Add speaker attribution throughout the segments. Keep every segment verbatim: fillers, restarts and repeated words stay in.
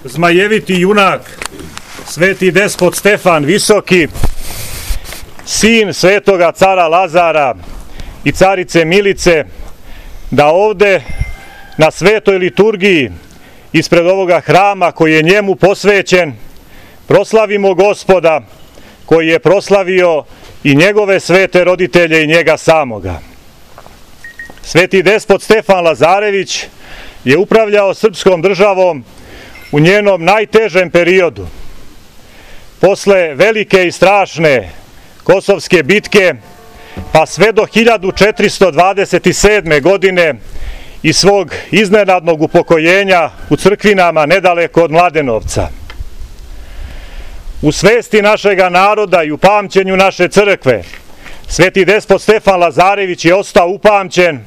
Speaker 1: zmajeviti junak, sveti despot Stefan Visoki, sin svetoga cara Lazara i carice Milice, da ovde na svetoj liturgiji ispred ovoga hrama koji je njemu posvećen proslavimo Gospoda koji je proslavio i njegove svete roditelje i njega samoga. Sveti despot Stefan Lazarević je upravljao srpskom državom u njenom najtežem periodu. Posle velike i strašne Kosovske bitke, pa sve do hiljadu četiristo dvadeset sedme. godine i svog iznenadnog upokojenja u crkvinama nedaleko od Mladenovca. U svesti našega naroda i u pamćenju naše crkve, sveti despot Stefan Lazarević je ostao upamćen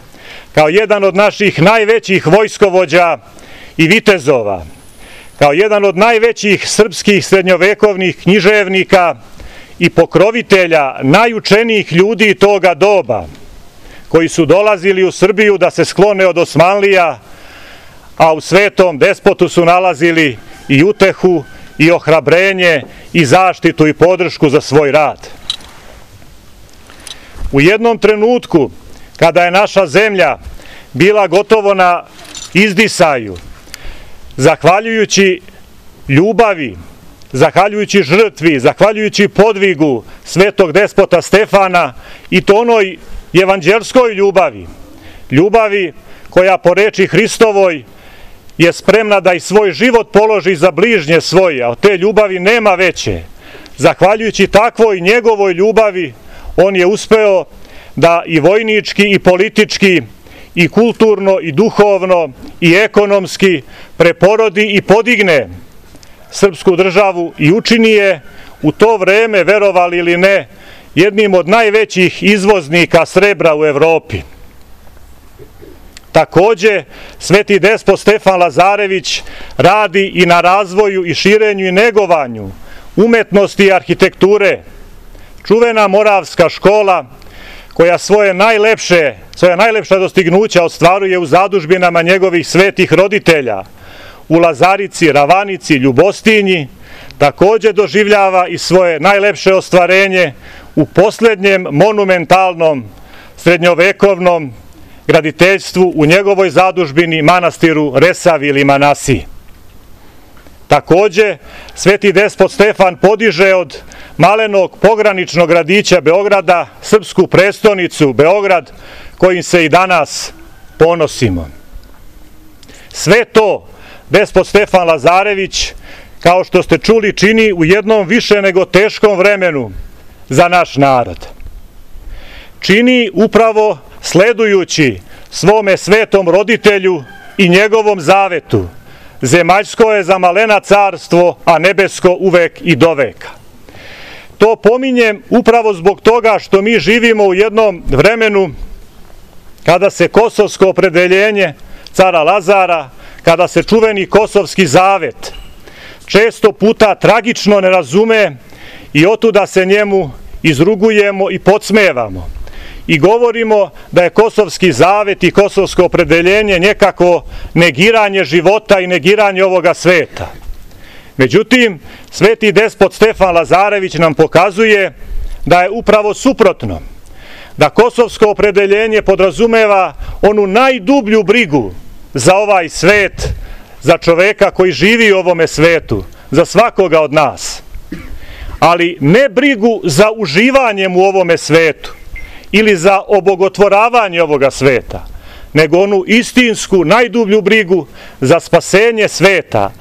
Speaker 1: kao jedan od naših najvećih vojskovođa i vitezova, kao jedan od najvećih srpskih srednjovekovnih književnika i pokrovitelja najučenijih ljudi toga doba, koji su dolazili u Srbiju da se sklone od Osmanlija, a u svetom despotu su nalazili i utehu, i ohrabrenje, i zaštitu i podršku za svoj rad. U jednom trenutku, kada je naša zemlja bila gotovo na izdisaju, zahvaljujući ljubavi, zahvaljujući žrtvi, zahvaljujući podvigu svetog despota Stefana, i to onoj evanđelskoj ljubavi, ljubavi koja po reči Hristovoj je spremna da i svoj život položi za bližnje svoje, a od te ljubavi nema veće. Zahvaljujući takvoj njegovoj ljubavi, on je uspeo da i vojnički i politički i kulturno i duhovno i ekonomski preporodi i podigne srpsku državu i učini je u to vreme, verovali ili ne, jednim od najvećih izvoznika srebra u Evropi. Takođe, sveti despot Stefan Lazarević radi i na razvoju i širenju i negovanju umetnosti i arhitekture. Čuvena Moravska škola, koja svoje najlepše, svoje najlepša dostignuća ostvaruje u zadužbinama njegovih svetih roditelja, u Lazarici, Ravanici, Ljubostinji, takođe doživljava i svoje najlepše ostvarenje u poslednjem monumentalnom srednjovekovnom graditeljstvu u njegovoj zadužbini manastiru Resavi ili Manasiji. Takođe, sveti despot Stefan podiže od malenog pograničnog gradića Beograda srpsku prestonicu Beograd, kojim se i danas ponosimo. Sve to despot Stefan Lazarević, kao što ste čuli, čini u jednom više nego teškom vremenu za naš narod. Čini upravo sledujući svome svetom roditelju i njegovom zavetu: zemaljsko je za malena carstvo, a nebesko uvek i doveka. To pominjem upravo zbog toga što mi živimo u jednom vremenu kada se kosovsko opredeljenje cara Lazara, kada se čuveni kosovski zavet često puta tragično ne razume i otuda se njemu izrugujemo i podsmevamo i govorimo da je kosovski zavet i kosovsko opredeljenje nekako negiranje života i negiranje ovoga sveta. Međutim, sveti despot Stefan Lazarević nam pokazuje da je upravo suprotno, da kosovsko opredeljenje podrazumeva onu najdublju brigu za ovaj svet, za čoveka koji živi u ovome svetu, za svakoga od nas, ali ne brigu za uživanjem u ovome svetu ili za obogotvoravanje ovoga sveta, nego onu istinsku, najdublju brigu za spasenje sveta,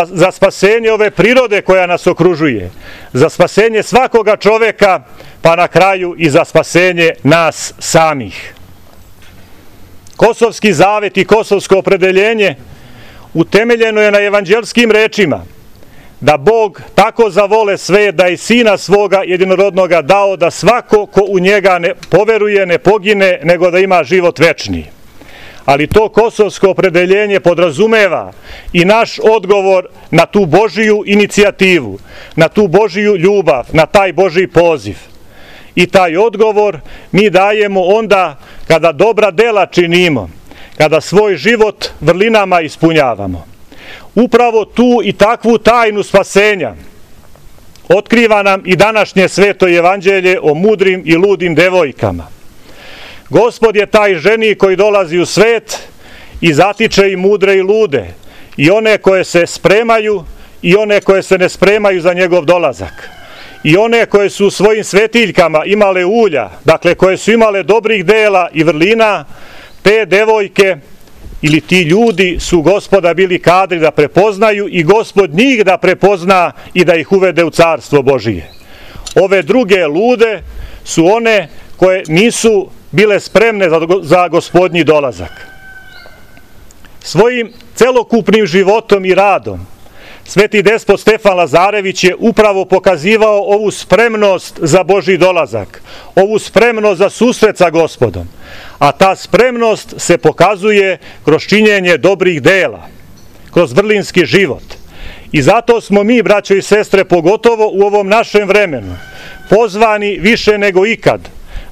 Speaker 1: za spasenje ove prirode koja nas okružuje, za spasenje svakoga čoveka, pa na kraju i za spasenje nas samih. Kosovski zavet i kosovsko opredeljenje utemeljeno je na evanđelskim rečima da Bog tako zavole svet da i sina svoga jedinorodnoga dao da svako ko u njega ne poveruje ne pogine, nego da ima život večni. Ali to kosovsko opredeljenje podrazumeva i naš odgovor na tu Božiju inicijativu, na tu Božiju ljubav, na taj Božji poziv. I taj odgovor mi dajemo onda kada dobra dela činimo, kada svoj život vrlinama ispunjavamo. Upravo tu i takvu tajnu spasenja otkriva nam i današnje sveto evanđelje o mudrim i ludim devojkama. Gospod je taj ženik koji dolazi u svet i zatiče i mudre i lude, i one koje se spremaju i one koje se ne spremaju za njegov dolazak, i one koje su u svojim svetiljkama imale ulja, dakle koje su imale dobrih dela i vrlina. Te devojke ili ti ljudi su Gospoda bili kadri da prepoznaju i Gospod njih da prepozna i da ih uvede u carstvo Božije. Ove druge lude su one koje nisu bile spremne za, za Gospodnji dolazak. Svojim celokupnim životom i radom sveti despot Stefan Lazarević je upravo pokazivao ovu spremnost za Božji dolazak, ovu spremnost za susret sa Gospodom, a ta spremnost se pokazuje kroz činjenje dobrih dela, kroz vrlinski život. I zato smo mi, braćo i sestre, pogotovo u ovom našem vremenu, pozvani više nego ikad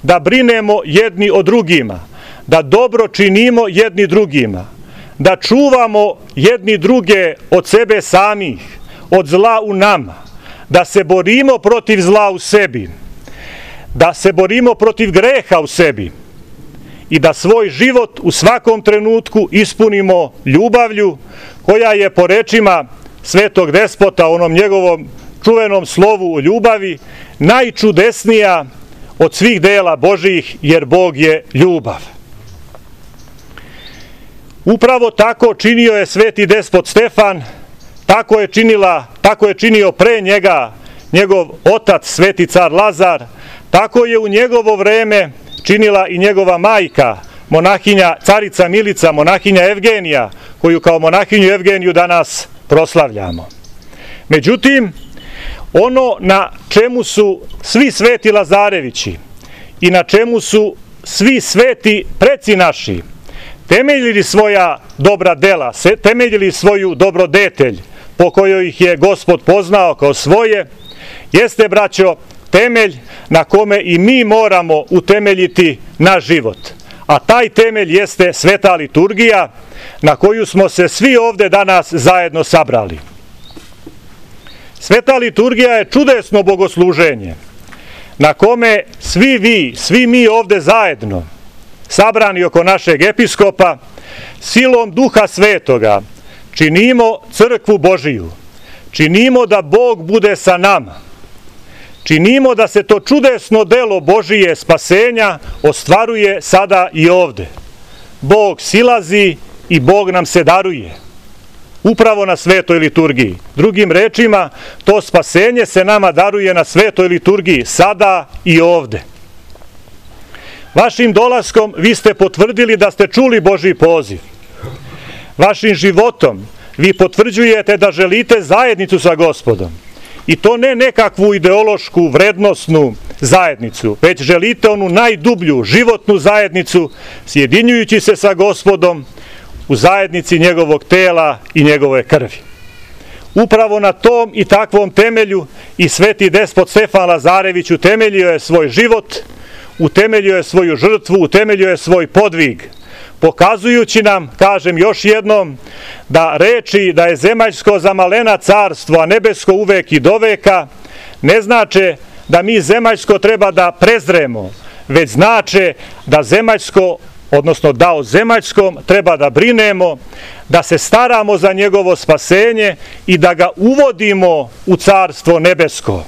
Speaker 1: da brinemo jedni o drugima, da dobro činimo jedni drugima, da čuvamo jedni druge od sebe samih, od zla u nama, da se borimo protiv zla u sebi, da se borimo protiv greha u sebi i da svoj život u svakom trenutku ispunimo ljubavlju koja je, po rečima svetog despota, onom njegovom čuvenom slovu o ljubavi, najčudesnija od svih dela Božijih, jer Bog je ljubav. Upravo tako činio je sveti despot Stefan, tako je činila, tako je činio pre njega njegov otac sveti car Lazar, tako je u njegovo vreme činila i njegova majka, monahinja, carica Milica, monahinja Evgenija, koju kao monahinju Evgeniju danas proslavljamo. Međutim, ono na čemu su svi sveti Lazarevići i na čemu su svi sveti preci naši temeljili svoja dobra dela, temeljili svoju dobrodetelj po kojoj ih je Gospod poznao kao svoje, jeste, braćo, temelj na kome i mi moramo utemeljiti naš život. A taj temelj jeste sveta liturgija na koju smo se svi ovde danas zajedno sabrali. Sveta liturgija je čudesno bogosluženje na kome svi vi, svi mi ovde zajedno, sabrani oko našeg episkopa, silom Duha Svetoga činimo crkvu Božiju, činimo da Bog bude sa nama, činimo da se to čudesno delo Božije spasenja ostvaruje sada i ovde. Bog silazi i Bog nam se daruje, upravo na svetoj liturgiji. Drugim rečima, to spasenje se nama daruje na svetoj liturgiji, sada i ovde. Vašim dolaskom vi ste potvrdili da ste čuli Božji poziv. Vašim životom vi potvrđujete da želite zajednicu sa Gospodom. I to ne nekakvu ideološku, vrednosnu zajednicu, već želite onu najdublju, životnu zajednicu, sjedinjujući se sa Gospodom u zajednici njegovog tela i njegove krvi. Upravo na tom i takvom temelju i sveti despot Stefan Lazarević utemeljio je svoj život, utemeljio je svoju žrtvu, utemeljio je svoj podvig, pokazujući nam, kažem još jednom, da reči da je zemaljsko za malena carstvo, a nebesko uvek i doveka, ne znače da mi zemaljsko treba da prezremo, već znače da zemaljsko, odnosno da o zemaljskom treba da brinemo, da se staramo za njegovo spasenje i da ga uvodimo u carstvo nebesko.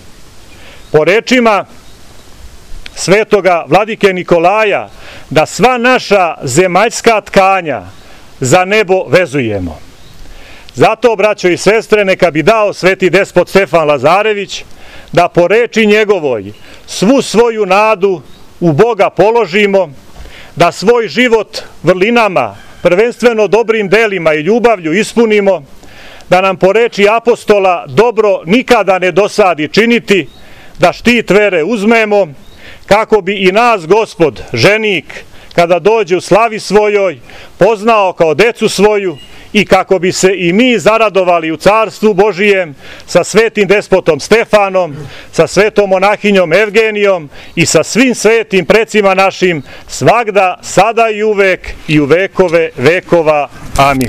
Speaker 1: Po rečima svetoga vladike Nikolaja, da sva naša zemaljska tkanja za nebo vezujemo. Zato, braćo i sestre, neka bi dao sveti despot Stefan Lazarević da po reči njegovoj svu svoju nadu u Boga položimo, da svoj život vrlinama, prvenstveno dobrim delima i ljubavlju ispunimo, da nam po reči apostola dobro nikada ne dosadi činiti, da štit vere uzmemo, kako bi i nas Gospod, ženik, kada dođe u slavi svojoj, poznao kao decu svoju i kako bi se i mi zaradovali u carstvu Božijem sa svetim despotom Stefanom, sa svetom monahinjom Evgenijom i sa svim svetim precima našim, svagda, sada i uvek i u vekove vekova. Amin.